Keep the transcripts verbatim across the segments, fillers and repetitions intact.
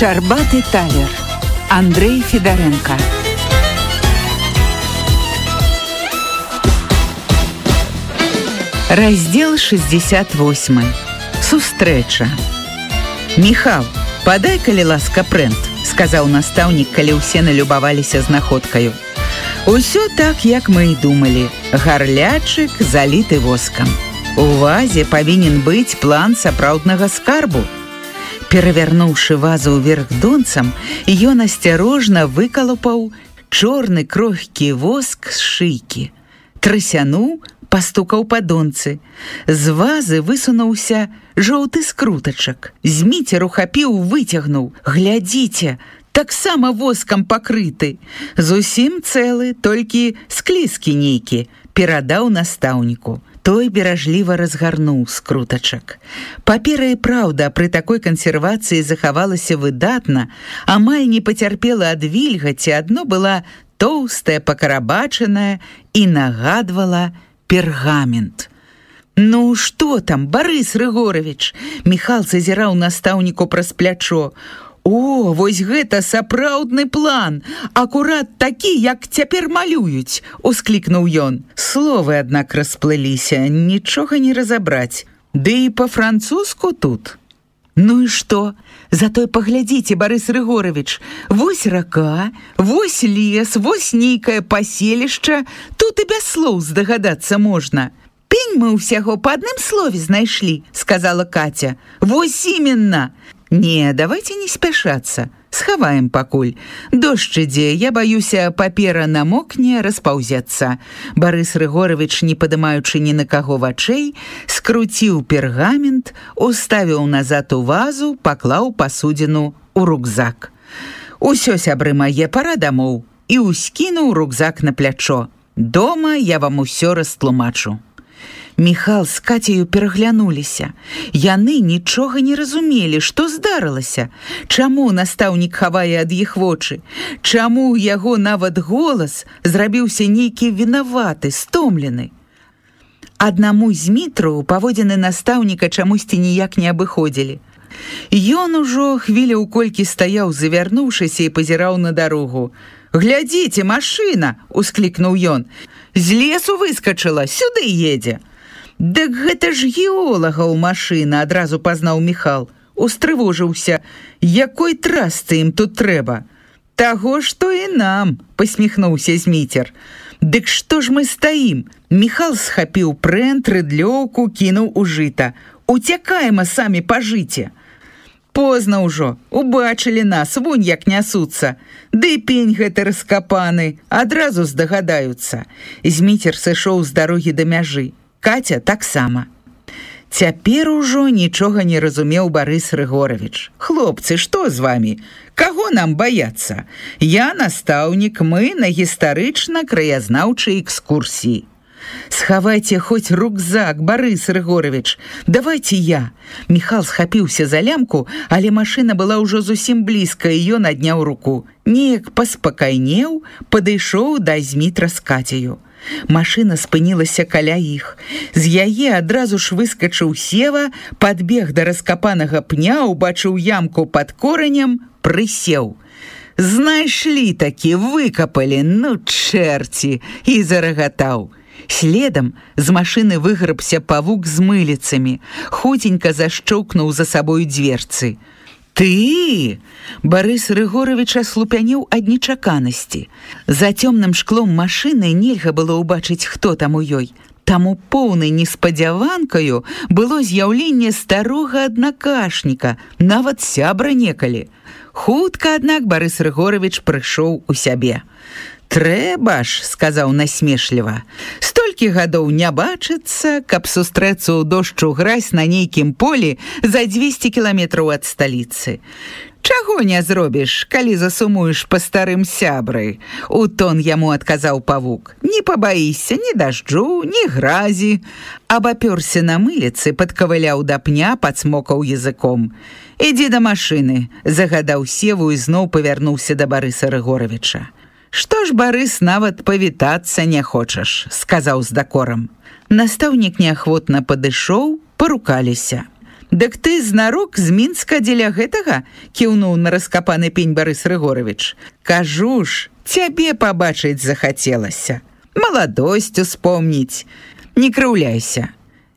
Шчарбаты талер. Андрей Федоренко. Раздел шестьдесят восемь. Сустрэча. «Міхал, падай, калі ласка, прэнт», — сказаў настаўнік, калі ўсе налюбаваліся знаходкаю. Усё так, як мы і думалі. Гарлячык заліты воскам. У вазе павінен быць план сапраўднага скарбу. Перавярнуўшы вазу ўверх донцам, ён асцярожна выкалупаў чорны крохкі воск з шыйкі. Трасянуў, пастукаў па донцы. З вазы высунуўся жоўты скрутачак. Зміцер ухапіў, выцягнуў. Глядзіце, таксама воскам пакрыты. Зусім цэлы, толькі склізкі нейкі. Перадаў настаўніку. Той беражліва разгарнуў скрутачак. Папера і праўда пры такой кансервацыі захавалася выдатна, амаль не пацярпела ад вільгаці, адно была тоўстая, пакарабачаная і нагадвала пергамент. «Ну, што там, Барыс Рыгорович?» Міхал зазіраў настаўніку праз плячо. «О, вось гэта сапраўдны план! Акурат такі, як цяпер малююць!» — усклікнуў ён. Словы, аднак, расплыліся, нічога не разабраць. Ды і па-французску тут. «Ну і што? Зато паглядзіце, Барыс Рыгорович, вось рака, вось лес, вось нейкае паселішча, тут і без слоў здагадацца можна». «Пень мы ўсяго па адным слове знайшлі», — сказала Катя. «Вось іменна». «Не, давайте не спяшацца. Схаваем пакуль. Дождж ідзе, я баюся, папера намокне, распаўзецца». Барыс Рыгорович, не падымаючы ні на каго вачэй, скруціў пергамент, уставіў назад у вазу, паклаў пасудзіну ў рукзак. «Усё, сябры мае, пара дамоў», і ўскінуў рукзак на плячо. «Дома я вам усё растлумачу». Міхал з Кацею пераглянуліся. Яны нічога не разумелі, што здарылася. Чаму настаўнік хавае ад іх вочы? Чаму яго нават голас зрабіўся нейкі вінаваты, стомлены? Аднаму з Мітру паводзіны настаўніка чамусьці ніяк не абыходзілі. Ён ужо хвіляў колькі стаяў, завярнуўшыся, і пазіраў на дарогу. «Глядзіце, машына!» — усклікнуў ён. «З лесу выскачыла, сюды едзе». «Дык гэта ж геолагаў машына», — адразу пазнаў Міхал. Устрывожыўся. «Якой трасцы ім тут трэба?» «Таго, што і нам», — пасміхнуўся Зміцер. «Дык што ж мы стаім?» Міхал схапіў прэнт, рыдлёўку, кінуў у жыта. «Уцякаем, а самі па жыце». «Позна ўжо, убачылі нас, вунь як нясуцца. Ды пень гэты раскапаны, адразу здагадаюцца». Зміцер сышоў з дарогі да мяжы. Катя таксама. Цяпер ужо нічога не разумеў Барыс Рыгорович. «Хлопцы, што з вамі? Каго нам баяцца? Я настаўнік, мы на гістарычна-краязнаўчай экскурсіі». «Схавайце хоць рукзак, Барыс Рыгорович, давайте я». Міхал схапіўся за лямку, але машына была ўжо зусім блізка, і ён адняў руку. Неяк паспакайнеў, падышоў да Змітра з Кацею. Машына спынілася каля іх. З яе адразу ж выскачыў Сева, падбег да раскапанага пня, убачыў ямку пад коранем, прысеў. «Знайшлі такі, выкапалі, ну чэрці!» і зарагатаў. Следам з машыны выграбся павук з мыліцамі, хуценька зашчоўкнуў за сабою дверцы. «Ты!» Барыс Рыгорович аслупянеў ад нечаканасці. За цёмным шклом машыны нельга было ўбачыць, хто там у ёй. Таму поўнай неспадзяванкаю было з'яўленне старога аднакашніка, нават сябра некалі. Хутка, аднак, Барыс Рыгорович прыйшоў у сябе. «Трэба ж», — сказаў насмешліва. «Столькі гадоў не бачыцца, каб сустрэцца ў дождж гразь на нейкім полі за дзвесце кіламетраў ад сталіцы. Чаго не зробіш, калі засумуеш па старым сябры?» — у тон яму адказаў павук. «Не пабаіся ні дажджу, ні гразі». Абапёрся на мыліцы, падкавыляў да пня, падсмокаў языком. «Ідзі да машыны», — загадаў Севу і зноў павярнуўся да Барыса Рыгоровича. «Што ж, Барыс, нават павітацца не хочаш», — сказаў з дакорам. Настаўнік неахвотна падышоў, парукаліся. Дык ты знарок з Мінска дзеля гэтага, кіўнуў на раскапаны пень Барыс Рыгорович. Кажу ж, цябе пабачыць захацелася. Маладосць успомніць. Не крыўляйся.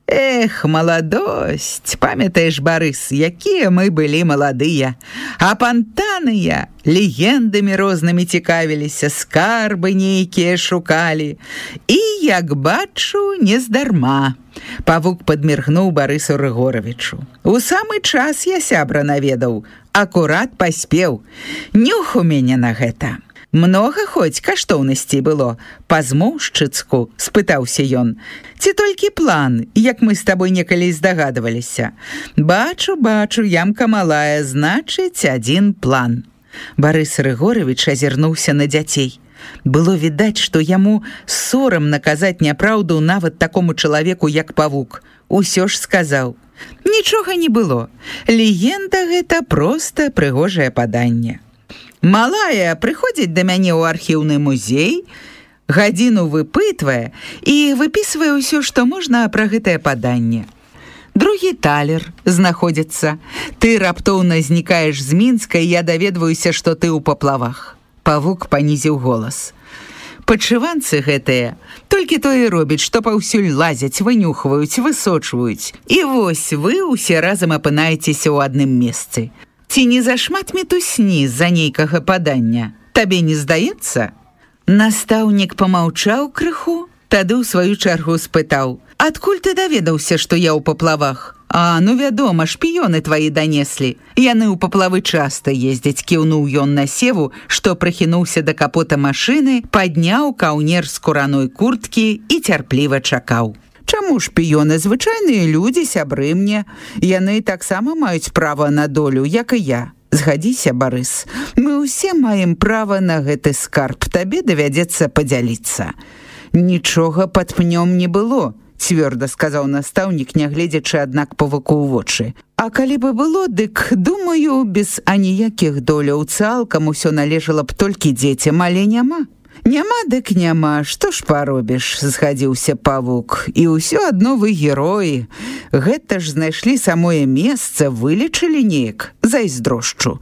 Эх, маладосць, памятаеш, Барыс, якія мы былі маладыя, а пантаныя легендамі рознымі цікавіліся, скарбы нейкія шукалі. І, як бачу, нездарма. Павук падміргнуў Барысу Рыгоровичу. У самы час я сябра наведаў, акурат паспеў. Нюх у мяне на гэта. Многа хоць каштоўнасцей было, па-змоўшчыцку, спытаўся ён. Ці толькі план, як мы з табой некалі здагадваліся? Бачу, бачу, ямка малая, значыць, адзін план. Барыс Рыгорович азірнуўся на дзяцей. Было відаць, што яму сорамна казаць няпраўду нават такому чалавеку, як Павук. Усё ж сказаў. Нічога не было. Легенда гэта проста прыгожае паданне. Малая прыходзіць да мяне ў архіўны музей, гадзіну выпытвае і выпісвае ўсё, што можна пра гэтае паданне. Другі талер знаходзіцца. Ты раптоўна знікаеш з Мінска, і я даведваюся, што ты ў паплавах. Павук панізіў голас. Падшыванцы гэтыя толькі тое робяць, што паўсюль лазяць, вынюхваюць, высочваюць. І вось вы ўсе разам апынаецеся ў адным месцы. Ці не зашмат мітусні з-за нейкага падання? Табе не здаецца? Настаўнік памаўчаў крыху, тады ў сваю чаргу спытаў. Адкуль ты даведаўся, што я ў паплавах? А, ну вядома, шпіёны твае данеслі. Яны ў паплавы часта ездзяць, кіўнуў ён на Севу, што прыхінуўся да капота машыны, падняў каўнер з кураной курткі і цярпліва чакаў. Чаму шпіёны? Звычайныя людзі, сябры мне. Яны таксама маюць права на долю, як і я. Згадзіся, Барыс, мы ўсе маем права на гэты скарб, табе давядзецца падзяліцца. Нічога пад пнём не было, цвёрда сказаў настаўнік, нягледзячы, аднак, Павуку ў вочы. А калі бы было, дык, думаю, без аніякіх доляў, цалкам усё належала б толькі дзецям, але няма. Няма дык няма, што ж паробіш, згадзіўся Павук. І ўсё адно вы героі. Гэта ж знайшлі самое месца, вылечылі неяк, зайздрошчу.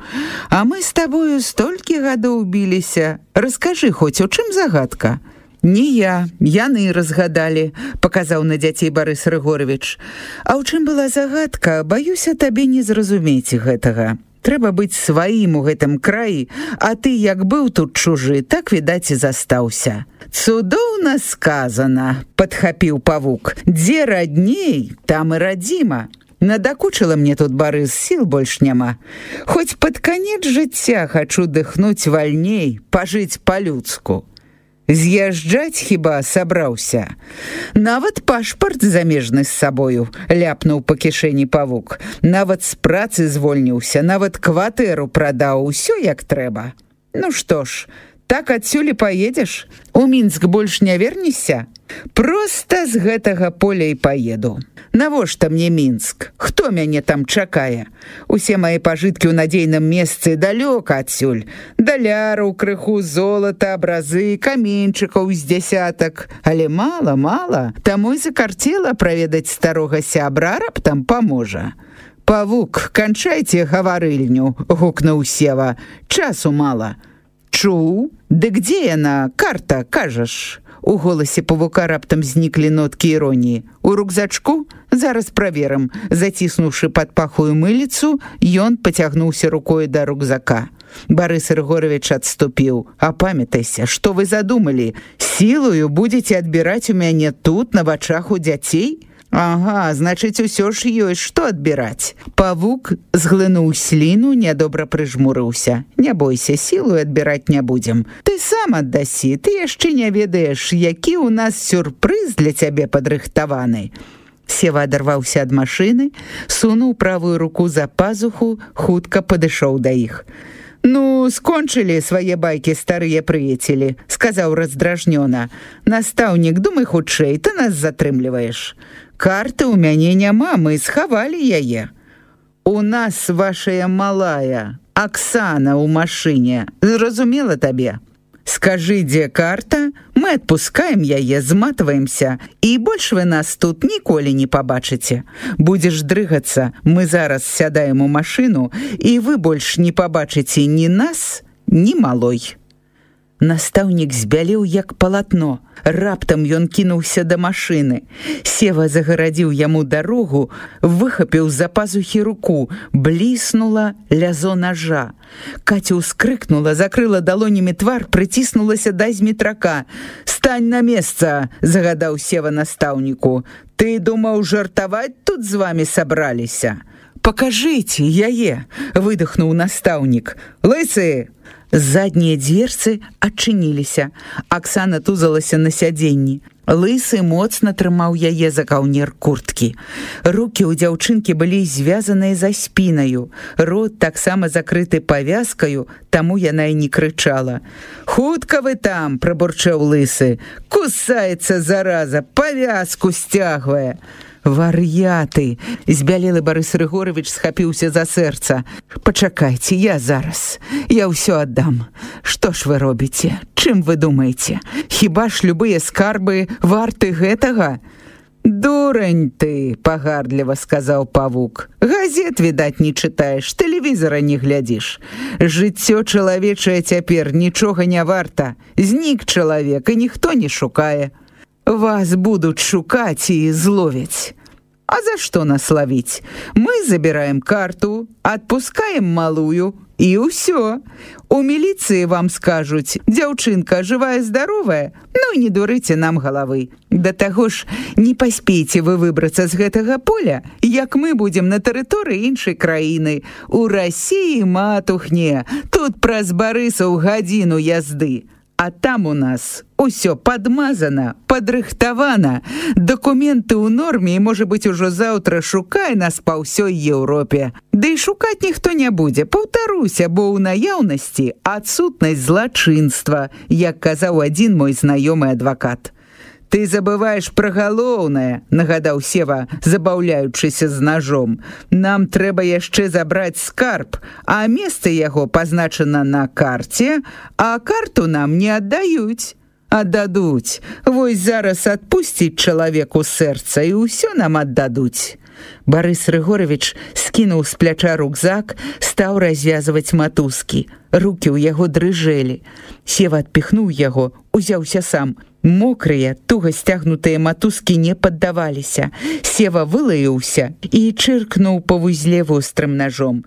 А мы з табою столькі гадоў біліся. Раскажы хоць, у чым загадка? Не я, яны разгадалі, паказаў на дзяцей Барыс Рыгорович. А ў чым была загадка, баюся табе не зразумець гэтага. Трэба быць сваім у гэтым краі, а ты, як быў тут чужы, так, відаць, і застаўся. Цудоўна сказана, падхапіў Павук. Дзе радней, там і радзіма. Надакучыла мне тут, Барыс, сіл больш няма. Хоць пад канец жыцця хачу дыхнуць вальней, пажыць па-людску. З'язджаць хіба сабраўся? Нават пашпарт замежны з сабою, ляпнуў па кішэні Павук. Нават з працы звольніўся, нават кватэру прадаў, усё як трэба. Ну што ж, так адсюль і паедзеш? У Мінск больш не вернешся? Проста з гэтага поля і паеду. Навошта мне Мінск? Хто мяне там чакае? Усе мае пажыткі ў надзейным месцы далёка адсюль. Даляраў, крыху золата, абразы, каменьчыкаў з дзясятак. Але мала, мала. Таму і закарцела праведаць старога сябра, раптам паможа. Павук, канчайце гаварыльню, гукнуў Сева. Часу мала. Чуў? Дык дзе яна, карта, кажаш? У голасе Павука раптам зніклі ноткі іроніі. У рюкзачку? Зараз праверым. Заціснуўшы пад пахую мыліцу, ён пацягнуўся рукой да рюкзака. Барыс Рыгорович адступіў. А памятайся, што вы задумалі? Сілаю будзеце адбіраць у мяне тут, на вачах у дзяцей? Ага, значыць, усё ж ёсць што адбіраць. Павук зглынуў сліну, нядобра прыжмурыўся. Не бойся, сілу адбіраць не будзем. Ты сам аддасі, ты яшчэ не ведаеш, які ў нас сюрпрыз для цябе падрыхтаваны. Сева адарваўся ад машыны, сунуў правую руку за пазуху, хутка падышоў да іх. «Ну, скончылі свае байкі старыя прыяцелі», — сказаў раздражнёна. «Настаўнік, думай хутчэй, ты нас затрымліваеш. Карты ў мяне няма, мы схавалі яе. У нас вашая малая, Аксана ў машыне. Зразумела табе?» Скажы, дзе карта, мы адпускаем яе, зматваемся, і больш вы нас тут ніколі не пабачыце. Будзеш дрыгацца, мы зараз сядаем у машыну, і вы больш не пабачыце ні нас, ні малой. Настаўнік збялеў як палатно. Раптам ён кінуўся да машыны. Сева загарадзіў яму дарогу, выхапіў з-за пазухі руку, бліснула лязо нажа. Каця ўскрыкнула, закрыла далонямі твар, прыціснулася да зметрака. «Стань на месца!» – загадаў Сева настаўніку. «Ты думаў, жартаваць тут з вамі сабраліся?» «Покажыце яе!» – выдохнуў настаўнік. «Лысы!» Заднія дверцы адчыніліся. Аксана тузалася на сядзенні. Лысы моцна трымаў яе за каўнер курткі. Рукі ў дзяўчынкі былі звязаныя за спінаю. Рот таксама закрыты павязкаю, таму яна і не крычала. «Хутка вы там!» – прабурчэў Лысы. «Кусаецца, зараза, павязку сцягвае!» «Вар'яты!» – збялелы Барыс Рыгорович схапіўся за сэрца. «Пачакайце, я зараз. Я ўсё аддам. Што ж вы робіце? Чым вы думаеце? Хіба ж любыя скарбы варты гэтага?» «Дурань ты!» – пагардліва сказаў павук. «Газет, відаць, не чытаеш, тэлевізара не глядзіш. Жыццё чалавечае цяпер нічога не варта. Знік чалавек, і ніхто не шукае. Вас будут шукаць і зловяць. А за што нас ловіць? Мы забираем карту, адпускаем малую, і ўсё. У міліцыі вам скажуць, дзяўчынка жывая-здаровая, ну і не дурыце нам галавы. Да таго ж, не паспейце вы выбрацца з гэтага поля, як мы будзем на тэрыторыі іншай краіны. У Расіі матухне, тут праз Барысаў гадзіну язды. А там у нас усё падмазана, падрыхтавана. Дакументы ў норме, і, можа быць, ужо заўтра шукай нас па ўсёй Еўропе. Ды і шукаць ніхто не будзе, паўтаруся, бо ў наяўнасці адсутнасць злачынства, як казаў адзін мой знаёмы адвакат. «Ты забываеш пра галоўнае», – нагадаў Сева, забаўляючыся з ножом. «Нам трэба яшчэ забраць скарб, а месца яго пазначана на карце, а карту нам не аддаюць». «Аддадуць. Вось зараз адпусціць чалавеку сэрца, і ўсё нам аддадуць». Барыс Рыгорович скінуў з пляча рюкзак, стаў развязваць матузкі. Рукі ў яго дрыжэлі. Сева адпіхнуў яго, узяўся сам. Мокрыя, туга сцягнутыя матузкі не паддаваліся. Сева вылаяўся і чыркнуў па вузле вострым ножом.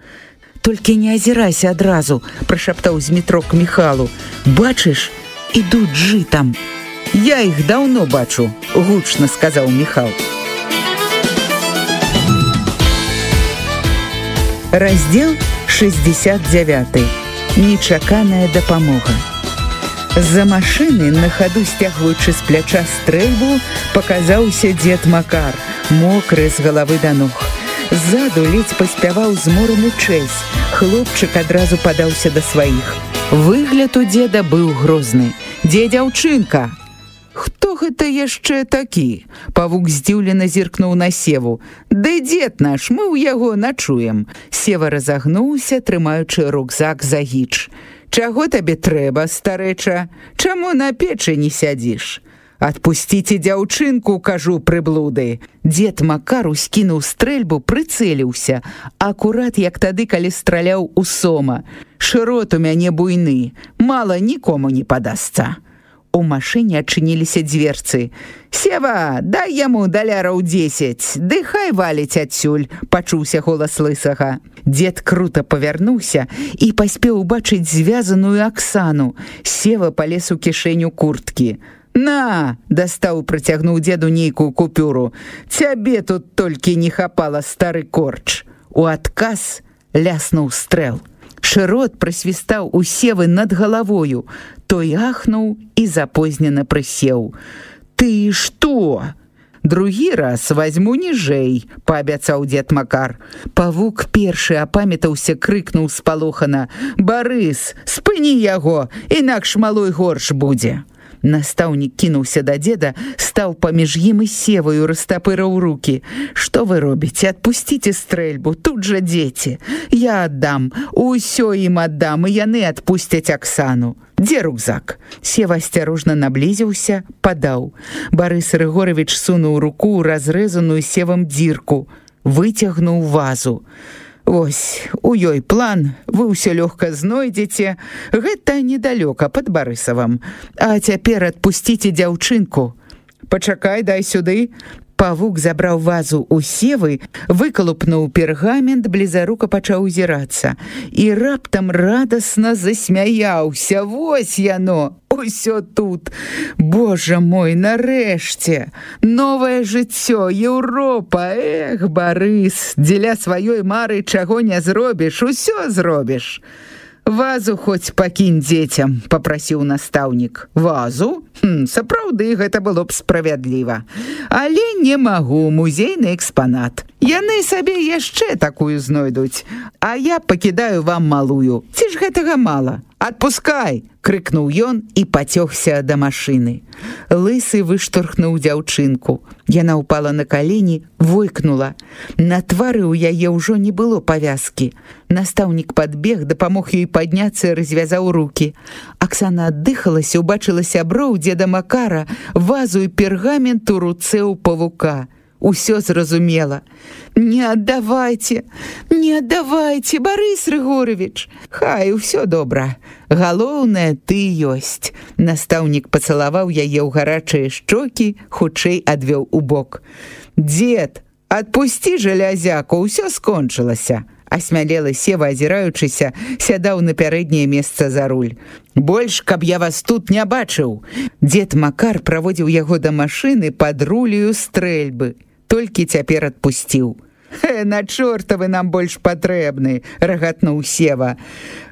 «Толькі не азірайся адразу», – прашаптаў зметрок Міхалу. «Бачыш, ідуць жытам». «Я іх даўно бачу», – гучна сказаў Міхал. Раздзел шэсцьдзесят дзевяты. Нечаканая дапамога. З-за машыны, на хаду сцягваючы з пляча стрэльбу, паказаўся дзед Макар, мокры з галавы да ног. Ззаду ледзь паспяваў змораны чэсь. Хлопчык адразу падаўся да сваіх. Выгляд у дзеда быў грозны. «Дзе дзяўчынка?» «Хто гэта яшчэ такі?» Павук здзіўлена зіркнуў на Севу. «Ды дзед наш, мы ў яго начуем». Сева разагнуўся, трымаючы рюкзак за гіч. «Чаго табе трэба, старэча? Чаму на печы не сядзіш?» «Адпусціце дзяўчынку, кажу, прыблуды». Дзед Макар ускінуў стрэльбу, прыцэліўся. Акурат, як тады, калі страляў у сома. «Шырот у мяне буйны, мала нікому не падасца». У машыне адчыніліся дверцы. «Сева, дай яму даляраў дзесяць, ды хай валіць адсюль», – пачуўся голас Лысага. Дзед крута павярнуўся і паспеў убачыць звязаную Аксану. Сева палез у кішэню курткі. «На!» – дастаў, працягнуў дзеду нейкую купюру. «Цябе тут толькі не хапала, стары корч». У адказ ляснуў стрэл. Шырот прасвістаў у Севы над галавою. Той ахнуў і запознена прысеў. «Ты што?» «Другі раз возьму ніжэй», – паабяцаў дзед Макар. Павук першы апамятаўся, крыкнуў спалохана. «Барыс, спыні яго, інакш малой горш будзе». Настаўнік кінуўся да дзеда, стаў паміж ім і севаю, растапыраў рукі. «Што вы робіце? Адпусціце стрэльбу, тут жа дзеці. Я аддам, усё ім аддам, і яны адпусцяць Аксану. Дзе рюкзак?» Сева асцярожна наблізіўся, падаў. Барыс Рыгорович сунуў руку ў разрэзаную севам дзірку, выцягнуў вазу. «Вось, у ёй план, вы ўсё лёгка знойдзеце. Гэта недалёка пад Барысавам. А цяпер адпусціце дзяўчынку». «Пачакай, дай сюды». Павук забраў вазу у севы, выкалупнуў пергамент, блізарука пачаў узірацца. І раптам радасна засмяяўся. «Вось яно! Усё тут! Божа мой, нарэшце! Новае жыццё, Еўропа! Эх, Барыс, дзеля сваёй мары чаго не зробіш, усё зробіш!» «Вазу хоць пакінь дзецям», — папрасіў настаўнік. «Вазу? Хм, сапраўды, гэта было б справядліва. Але не магу, музейны экспанат. Яны сабе яшчэ такую знойдуць, а я пакідаю вам малую. Ці ж гэтага мала? Адпускай!» — крыкнуў ён і пацёгся да машыны. Лысы выштурхнуў дзяўчынку. Яна ўпала на калені, войкнула. На твары ў яе ўжо не было павязкі. Настаўнік падбег, дапамог ёй падняцца і развязаў рукі. Аксана аддыхалася, убачыла сяброў дзеда Макара, вазу і пергамент у руцэ ў павука. Усё зразумела. «Не аддавайце, не аддавайце, Барыс Рыгорович! Хай, усё добра. Галоўнае, ты ёсць». Настаўнік пацалаваў яе ў гарачыя шчокі, хутчэй адвёў у бок. «Дзед, адпусці жалязяку, усё скончылася». Асмялелы Сева, азіраючыся, сядаў на пярэдняе месца за руль. «Больш, каб я вас тут не бачыў». Дзед Макар праводзіў яго да машыны пад рулею стрэльбы. Толькі цяпер адпусціў. «Хе, на чорта вы нам больш патрэбны», — рагатнуў Сева.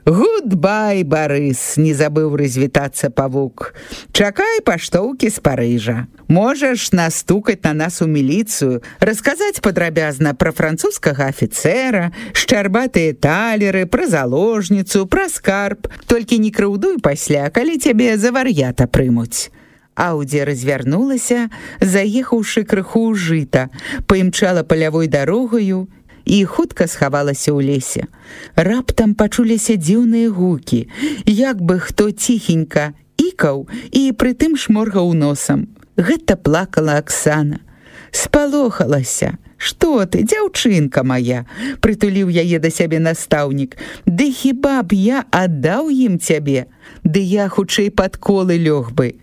«Гудбай, Барыс», — не забыў развітацца павук. «Чакай паштоўкі з Парыжа. Можаш настукаць на нас у міліцыю, расказаць падрабязна пра французскага афіцэра, шчарбатыя талеры, пра заложніцу, пра скарб. Толькі не крыўдуй пасля, калі цябе за вар'ята прымуць». Аўдзі развярнулася, заехаўшы крыху ў жыта, паімчала палявой дарогаю і хутка схавалася ў лесе. Раптам пачуліся дзіўныя гукі, як бы хто ціхенька ікаў і прытым шморгаў носам. Гэта плакала Аксана. Спалохалася. «Што ты, дзяўчынка мая?» — прытуліў яе да сябе настаўнік. «Ды хіба б я аддаў ім цябе? Ды я хутчэй пад колы лёг бы».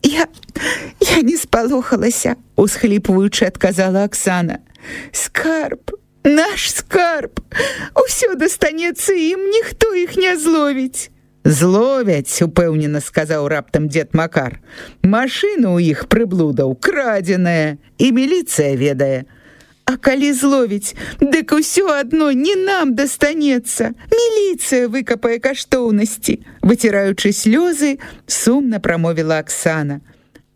«Я... я не спалохалася», — усхліпваючы адказала Аксана. «Скарб, наш скарб, усё дастанецца ім, ніхто іх не зловіць». «Зловяць», — упэўнена сказаў раптам дзед Макар. «Машына ў іх прыблудаў крадзеная, і міліцыя ведае». «А калі зловіць, дык усё адно не нам дастанецца. Міліцыя выкапае каштоўнасці», — выціраючы слёзы, сумна прамовіла Аксана.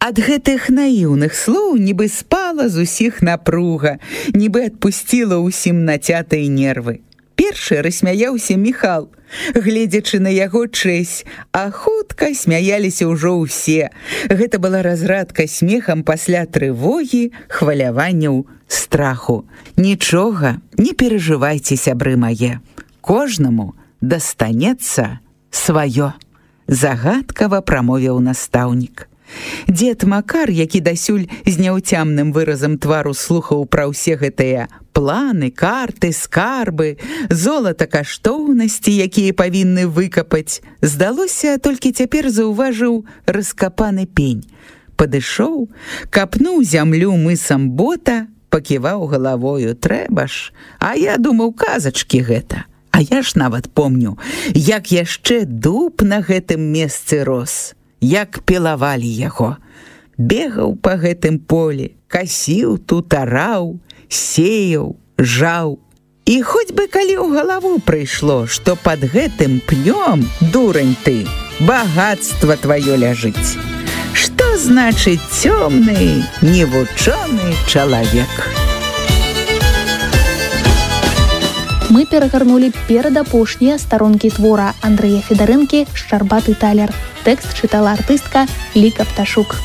Ад гэтых наіўных слоў нібы спала з усіх напруга, нібы адпусціла ўсім нацятыя нервы. Першы рассмяяўся Міхал, гледзячы на яго чэсь, а хутка смяяліся ўжо ўсе. Гэта была разрадка смехам пасля трывогі, хваляванняў, страху. «Нічога, не перажывайце, сябры мае. Кожнаму дастанецца сваё», — загадкава прамовіў настаўнік. Дзед Макар, які дасюль з няўцямным выразам твару слухаў пра ўсе гэтыя планы, карты, скарбы, золата каштоўнасці, якія павінны выкапаць, здалося, толькі цяпер заўважыў раскапаны пень. Падышоў, капнуў зямлю мысам бота, паківаў галавою. «Трэба ж, а я думаў, казачкі гэта. А я ж нават помню, як яшчэ дуб на гэтым месцы рос, як пілавалі яго. Бегаў па гэтым полі, касіў тут, араў, сеяў, жаў. І хоць бы калі ў галаву прыйшло, што пад гэтым пнём, дурань ты, багатства тваё ляжыць. Што значыць цёмны, невучоны чалавек?» Мы перагарнулі перадапошнія старонкі твора Андрэя Федарэнкі «Шчарбаты талер». Тэкст чытала артыстка Ліка Пташук.